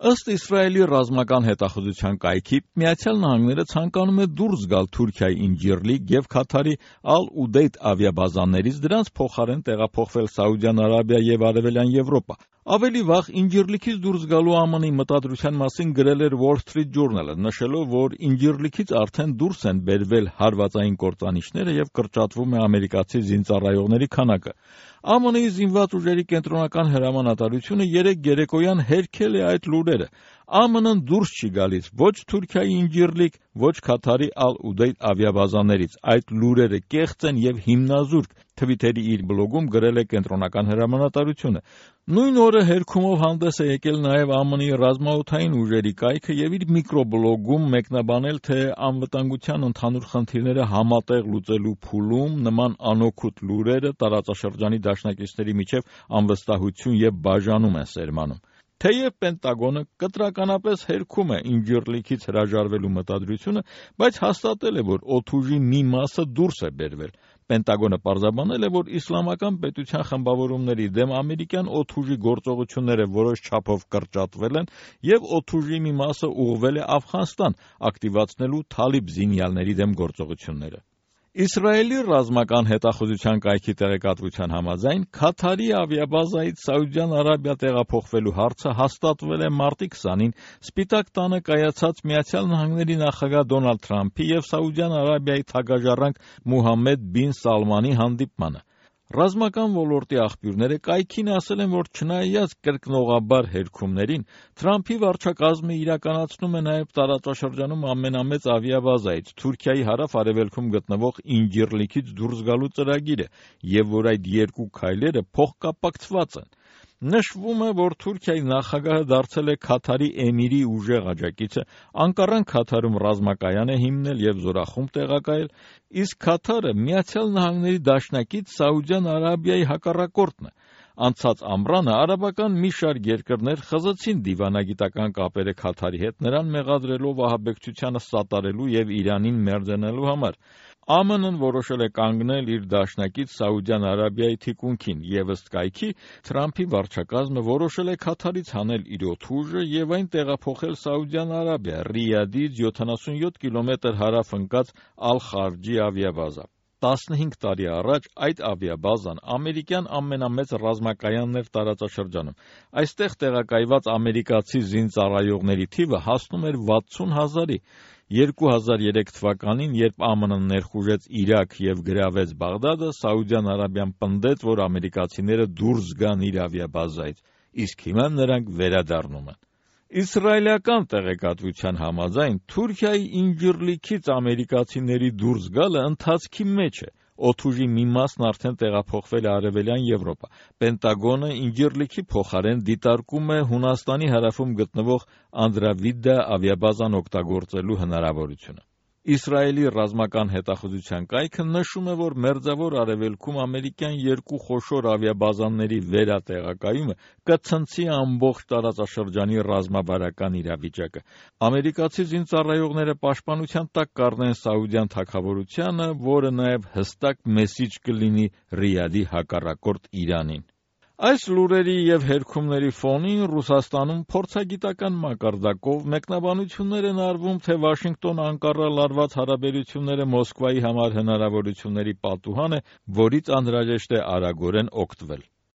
Ըստ Իսրայելի ռազմական հետախուզության կայքի, Միացյալ Նահանգները ցանկանում է դուրս գալ Թուրքիայի Ինջիրլիկ և Քաթարի Ալ-Ուդեյդ ավիաբազաներից, դրանց փոխարեն տեղափոխվել Սաուդյան Արաբիա և Արևելյան Եվրոպա։ Ավելի վաղ Ինջիրլիկից դուրս գալու ԱՄՆ-ի մտադրության մասին գրել էր Wall Street Journal-ը, նշելով, որ Ինջիրլիկից արդեն դուրս են բերվել հարվածային կործանիչները և կրճատվում է ամերիկացի զինծառայողների քանակը։ ԱՄՆ-ի զինված ուժերի կենտրոնական հրամանատարությունը երեկ երեկոյան հերքել է այդ լուրերը։ ԱՄՆ-ն դուրս չի գալիս ոչ Թուրքիայի Ինջիրլիկ, ոչ Քաթարի Ալ-Ուդեյդ ավիաբազաներից։ Այդ լուրերը կեղծ են և հիմնազուրկ, Թվիթերի իր բլոգում գրել է կենտրոնական հրամանատարությունը։ Նույն օրը հերքումով հանդես է եկել նաև ԱՄՆ-ի ռազմաօդային ուժերի կայքը և իր միկրոբլոգում մեկնաբանել, թե անվտանգության ընդհանուր խնդիրները համատեղ լուծելու փուլում նման անօգուտ լուրերը տարածաշրջանի դաշնակիցների միջև անվստահություն և բաժանում են սերմանում։ Թեև Պենտագոնը կտրականապես հերքում է Ինջիրլիկից հրաժարվելու մտադրությունը, բայց հաստատել է, որ օդուժի մի մասը դուրս է բերվել։ Պենտագոնը պարզաբանել է, որ իսլամական պետության խմբավորումների դեմ ամերիկյան օդուժի գործողությունները որոշ չափով կրճատվել են և օդուժի մի մասը ուղղվել է Աֆղանստան՝ ակտիվացնելու թալիբ զինյալների դեմ գործողությունները։ Իսրայելի ռազմական հետախուզության կայքի տեղեկատվության համաձայն, Քաթարի ավիաբազայից Սաուդյան Արաբիա տեղափոխվելու հարցը հաստատվել է մարտի 20-ին Սպիտակ տանը կայացած Միացյալ Նահանգների նախագահ Դոնալդ Թրամփի և Սաուդյան Արաբիայի թագաժառանգ Մուհամմեդ բին Սալմանի հանդիպմանը։ Ռազմական ոլորտի աղբյուրները կայքին ասել են, որ չնայած կրկնողաբար հերքումներին, Թրամփի վարչակազմը իրականացնում է նաև տարածաշրջանում ամենամեծ ավիաբազայից Թուրքիայի հարավ-արևելքում գտնվող Ինջիրլիկից դուրս գալու ծրագիրը, և որ այդ երկու քայլերը փոխկապակցված են։ Նշվում է, որ Թուրքիայի նախագահը դարձել է Քաթարի էմիրի ուժեղ աջակիցը, Անկարան Քաթարում ռազմակայան է հիմնել և զորախումբ տեղակայել, իսկ Քաթարը Միացյալ Նահանգների դաշնակից Սաուդյան Արաբիայի հակառակորդն է։ Անցած ամռանը արաբական մի շարք երկրներ խզեցին դիվանագիտական կապերը Քաթարի հետ, նրան մեղադրելով ահաբեկչությանը սատարելու և Իրանին մերձենալու համար։ ԱՄՆ-ն որոշել է կանգնել իր դաշնակից Սաուդյան Արաբիայի թիկունքին, և ըստ կայքի Թրամփի վարչակազմը որոշել է Քաթարից հանել իր օդուժը և այն տեղափոխել Սաուդյան Արաբիա՝ Ռիադից 77 կիլոմետր հարավ ընկած Ալ-Խարջի ավիաբազա։ 15 տարի առաջ այդ ավիաբազան ամերիկյան ամենամեծ ռազմակայանն էր տարածաշրջանում։ Այստեղ տեղակայված ամերիկացի զինծառայողների թիվը հասնում էր 60 հազարի։ 2003 թվականին, երբ ԱՄՆ-ն ներխուժեց Իրաք և գրավեց Բաղդադը, Սաուդյան Արաբիան պնդեց, որ ամերիկացիները դուրս գան իր ավիաբազայից, իսկ հիմա նրանք վերադառնում են։ Իսրայելական տեղեկատվության համաձայն, Թուրքիայի Ինջիրլիկից ամերիկացիների դուրս գալը ընթացքի մեջ է։ Օդուժի մի մասն արդեն տեղափոխվել է Արևելյան Եվրոպա։ Պենտագոնը Ինջիրլիկի փոխարեն դիտարկում է Հունաստանի հարավում գտնվող Անդրավիդդա ավիաբազան օգտագործելու հնարավորությունը։ Իսրայելի ռազմական հետախուզության կայքը նշում է, որ Մերձավոր Արևելքում ամերիկյան երկու խոշոր ավիաբազաների վերատեղակայումը կցնցի ամբողջ տարածաշրջանի ռազմավարական իրավիճակը։ Ամերիկացի զինծառայողները պաշտպանության տակ կառնեն Սաուդյան թագավորությանը, որը նաև հստակ մեսիջ կլինի Ռիադի հակառակորդ Իրանին։ Այս լուրերի և հերքումների ֆոնին Ռուսաստանում փորձագիտական մակարդակով մեկնաբանություններ են արվում, թե Վաշինգտոն-Անկարա լարված հարաբերությունները Մոսկվայի համար հնարավորությունների պատուհան է, որից անհրաժեշտ է արագորեն օգտվել։